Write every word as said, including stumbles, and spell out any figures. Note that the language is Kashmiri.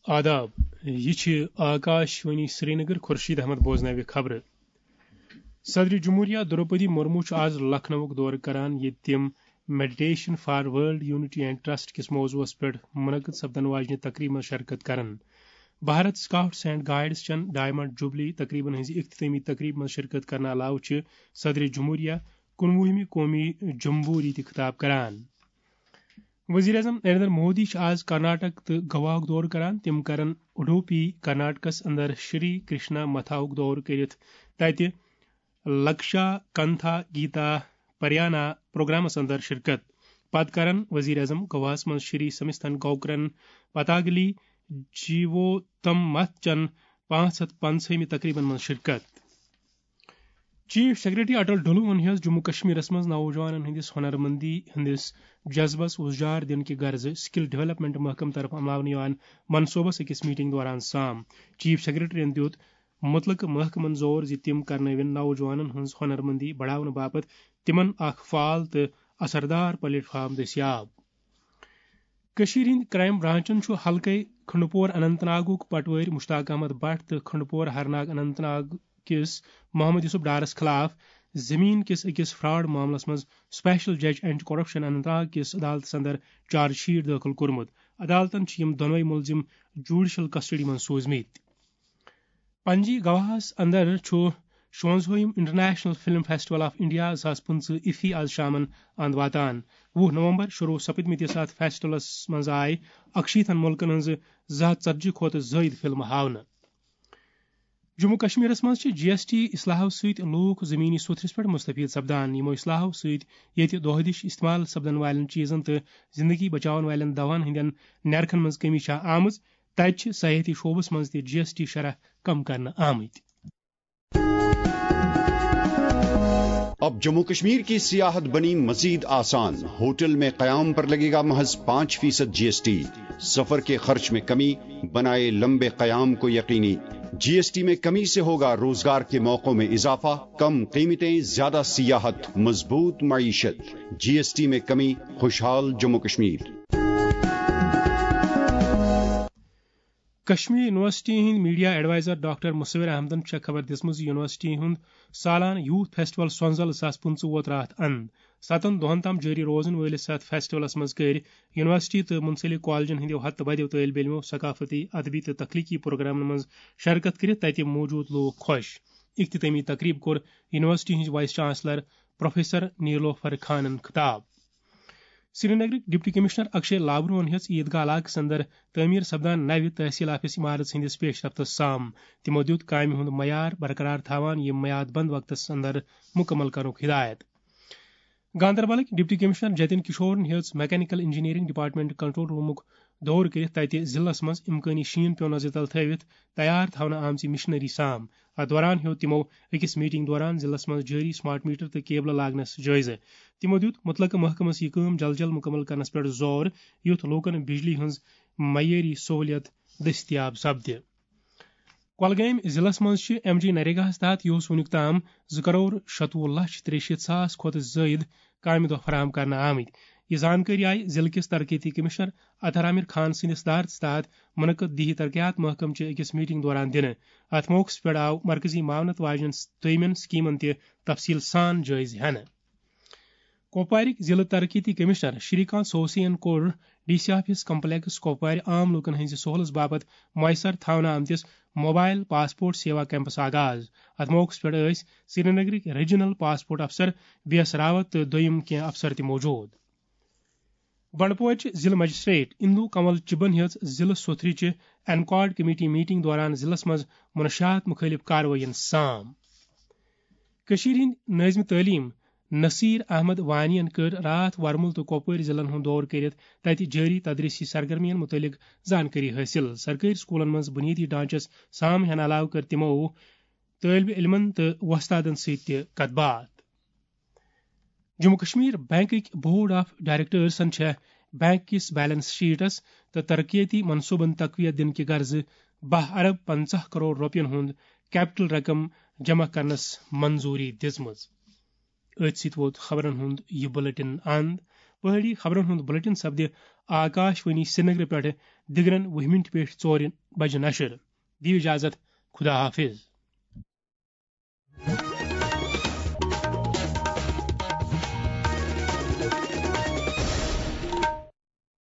آداب، یہِ چھِ آکاش وانی سرینگر۔ خورشید احمد بوزناوِ خبرٕ۔ صدر جمہوریہ درٛوپدی مرمو چھُ آز لکھنؤُک دورٕ کران، ییٚتہِ تِم Meditation for World Unity and Trust کِس موضوعس پٮ۪ٹھ منعقد سپدن واجنہِ تقریبہِ منٛز شرکت کرن۔ بھارت سکاؤٹس اینڈ گائیڈز چٮ۪ن ڈائمنڈ جوبلی تقریبن ہٕنٛزِ اختتٲمی تقریبہِ منٛز شرکت کرنہٕ علاوٕ چھِ صدر جمہوریہ کُنوُہمہِ قومی جمبوری تہِ خطاب کران۔ وزیر اعظم نریندر مودی چھِ آز کرناٹک تہٕ گواہُک دورٕ کران۔ تِم کرن اڈوپی، کرناٹکس اندر شری کرشنا متھاہُک دورٕ کٔرِتھ تتہِ لکشا کنتھا گیتا پریانا پروگرامس اندر شرکت۔ پتہٕ کرن وزیر اعظم گواہس منٛز شری سمستھن گوکرن پتاگلی جیووتم متھ چٮ۪ن پانٛژھ ہتھ پنٛژہمہِ تقریبن منٛز شرکت۔ چیف سیکرٹری اٹل ڈلوہن ہیٚژ جموں کشمیرس منٛز نوجوانن ہٕنٛدِس ہنرمندی ہٕنٛدِس جذبس وُزجار دِنہٕ کہِ غرضہٕ سکل ڈیولپمنٹ محکمہٕ طرفہٕ عملاونہٕ یِوان منصوبس أکِس میٹنگ دوران سام۔ چیف سیکرٹریَن دِیُت مُتلقہٕ محکمن زور زِ تِم کرنٲوِن نوجوانن ہٕنٛز ہنرمندی بڑاونہٕ باپتھ تِمن اکھ فعال تہٕ اثردار پلیٹ فارم دٔستیاب۔ کٔشیٖرِ ہٕنٛدۍ کرائم برانچن چھُ حلقے کھنڈپور اننت ناگُک پٹوٲرۍ مشتاق احمد بٹ تہٕ کھنڈپور ہرناگ اننت ناگ کِس محمد یوسف ڈارس خلاف زمین کِس أکِس فراڈ معاملس منٛز اسپیشل جج اینٹی کرپشن اننت ناگ کِس عدالتس اندر چارج شیٹ دٲخل کوٚرمُت۔ عدالتن چھِ یِم دۄنوَے مُلزِم جوڈیشل کسٹڈی منٛز سوٗزمٕتۍ۔ پنجی گواہس اندر چھُ شُوَنزاہِم international film festival of India زٕ ساس پٕنٛژٕہ ایفی آز شامن اند واتان۔ وُہ نومبر شروع سپدمٕتِس اتھ فیسٹیولس منٛز آیہِ اکشیٖتن مُلکن ہٕنٛزٕ زٕ ہتھ ژتجی کھۄتہٕ زٲیِد فلمہٕ ہاونہٕ۔ جموں کشمیرس منٛز چھِ جی ایس ٹی اصلاحو سۭتۍ لوٗکھ زمینی سوٚتھرِس پٮ۪ٹھ مستفید سپدان۔ یِمو اصلاحو سۭتۍ ییٚتہِ دۄہ دِش استعمال سپدن والٮ۪ن چیزن تہٕ زندگی بچاون والٮ۪ن دواہن ہٕنٛدٮ۪ن نرخن منٛز کمی چھےٚ آمٕژ، تتہِ چھِ سیاحتی شعبس منٛز تہِ جی ایس ٹی شرح کم کرنہٕ آمٕتۍ۔ اب جموں کشمیر کی سیاحت بنی مزید آسان۔ ہوٹل میں قیام پر لگے گا محض پانچ فیصد جی ایس ٹی۔ سفر کے خرچ میں کمی، بنائے لمبے قیام کو یقینی۔ جی ایس ٹی میں کمی سے ہوگا روزگار کے موقعوں میں اضافہ، کم قیمتیں، زیادہ سیاحت، مضبوط معیشت۔ جی ایس ٹی میں کمی، خوشحال جموں کشمیر۔ کشمیر یونیورسٹی ہٕنٛدۍ میڈیا ایڈوائزر ڈاکٹر مصور احمدن چھےٚ خبر دِژمٕژ زِ یونیورسٹی ہُنٛد سالانہٕ یوتھ فیسٹیول سۄنزل زٕ ساس پٕنٛژٕہ ووت راتھ اند۔ ستن دۄہن تام جٲری روزن وٲلِس اتھ فیسٹیولس منٛز کٔرۍ یونیورسٹی تہٕ منسلک کالجن ہٕنٛدیو ہتہٕ بدیو طٲلب علمو ثقافتی، ادبی تہٕ تخلیقی پروگرامن منٛز شرکت کٔرِتھ تتہِ موجود لوٗکھ خۄش۔ اختتٲمی تقریب کوٚر یونیورسٹی ہٕنٛز وائس چانسلر پروفیسر نیلوفر خانن خطاب۔ سرینگرٕکۍ ڈپٹی کمشنر اکشے لابروہن ہیٚژ عیدگاہ علاقس اندر تعمیر سپدان نوِ تحصیل آفس عمارت ہٕنٛدِس پیش رفتس سام۔ تِمو دِیُت کامہِ ہُنٛد معیار برقرار تھاوان یہِ میعاد بند وقتس اندر مکمل کرنُک ہدایت۔ گاندربلٕکۍ ڈپٹی کمشنر جتن کشورن ہیٚژ میکینیکل انجینئرنگ ڈپارٹمنٹ کنٹرول رومُک دورٕ کٔرِتھ تتہِ ضلعس منٛز امکٲنی شیٖن پیوٚن نظرِ تل تھٲوِتھ تیار تھاونہٕ آمژِ مشینری سام۔ اتھ دوران ہیوٚت تِمو أکِس میٹنگ دوران ضلعس منٛز جٲری سمارٹ میٹر تہٕ کیبلہٕ لاگنس جٲیزٕ۔ تِمو دیُت مُتلقہٕ محکمس یہِ کٲم جل جل مُکمل کرنس پٮ۪ٹھ زور، یُتھ لوٗکن بجلی ہٕنٛز معیٲری سہولیت دٔستیاب سپدِ۔ کۄلگٲمۍ ضلعس منٛز چھِ ایم جی نریگاہَس تحت یُس وُنیُک تام زٕ کرور شتوُہ لچھ ترٛیہِ شیٖتھ ساس کھۄتہٕ زٲیِد کامہِ دۄہ فراہم کرنہٕ آمٕتۍ۔ یہِ زانکٲری آیہِ ضلعہٕ کِس ترقیتی کمشنر اطہر عامر خان سٕنٛدِ صدارتس تحت منعقد دیہی ترقیات محکمہٕ چہِ أکِس میٹنگ دوران دِنہٕ۔ اتھ موقعس پٮ۪ٹھ آو مرکزی معاونت واجنٮ۪ن دوٚیمٮ۪ن سکیمن تہِ تفصیل سان جٲیزٕ ہٮ۪نہٕ۔ کۄپوارٕکۍ ضلعہٕ ترقیتی کمشنر شری کانت سوسین کوٚر ڈی سی آفس کمپلیکس کۄپوارِ عام لوٗکن ہٕنٛزِ سہولژ باپتھ میسر تھاونہٕ آمتِس موبائل پاسپورٹ سیوا کیمپس آغاز۔ اتھ موقعس پٮ۪ٹھ ٲسۍ سرینگرٕکۍ ریجنل پاسپورٹ افسر بی ایس راوت تہٕ دوٚیم کینٛہہ افسر تہِ موجود۔ بنڈپورچہِ ضلعہٕ مجسٹریٹ اندو کنول چبن ہیٚژ ضلعہٕ سوٚتھرِ چہِ انکاڈ کمیٹی میٹنگ دوران ضلعس منٛز منشیات مُخٲلف کاروٲیین سام۔ کٔشیٖرِ ہٕنٛدۍ نٲظمِ تعلیٖم نصیر احمد وانی ین کٔر راتھ ورمُل تہٕ کۄپوٲرۍ ضلعن ہُنٛد دورٕ کٔرِتھ تتہِ جٲری تدریسی سرگرمین مُتعلق زانکٲری حٲصِل۔ سرکٲرۍ سکوٗلن منٛز بُنیٲدی ڈھانچس سام ہٮ۪نہٕ علاوٕ کٔر تِمو طٲلبِ علمن تہٕ وۄستادن سۭتۍ تہِ کتھ باتھ۔ جموں کشمیر بینکٕکۍ بورڈ آف ڈائریکٹرزن چھےٚ بینک کِس بیلنس شیٹس تہٕ ترقیتی منصوبن تقویت دِنہٕ کہِ غرضہٕ باہ ارب پنژاہ کرور رۄپین ہُنٛد کیپٹل رقم جمع کرنس منظوری دِژمٕژ۔ أتھۍ سۭتۍ ووت خبرن ہُنٛد یہِ بلیٹن اند۔ پہٲڑی خبرن ہُنٛد بلیٹن سپدِ آکاش وانی سرینگر پٮ۪ٹھ دِگرن وُہہِ مِنٹہِ پٮ۪ٹھ ژورِ بجہِ نشر۔ دِیِو اجازت، خدا حافظ۔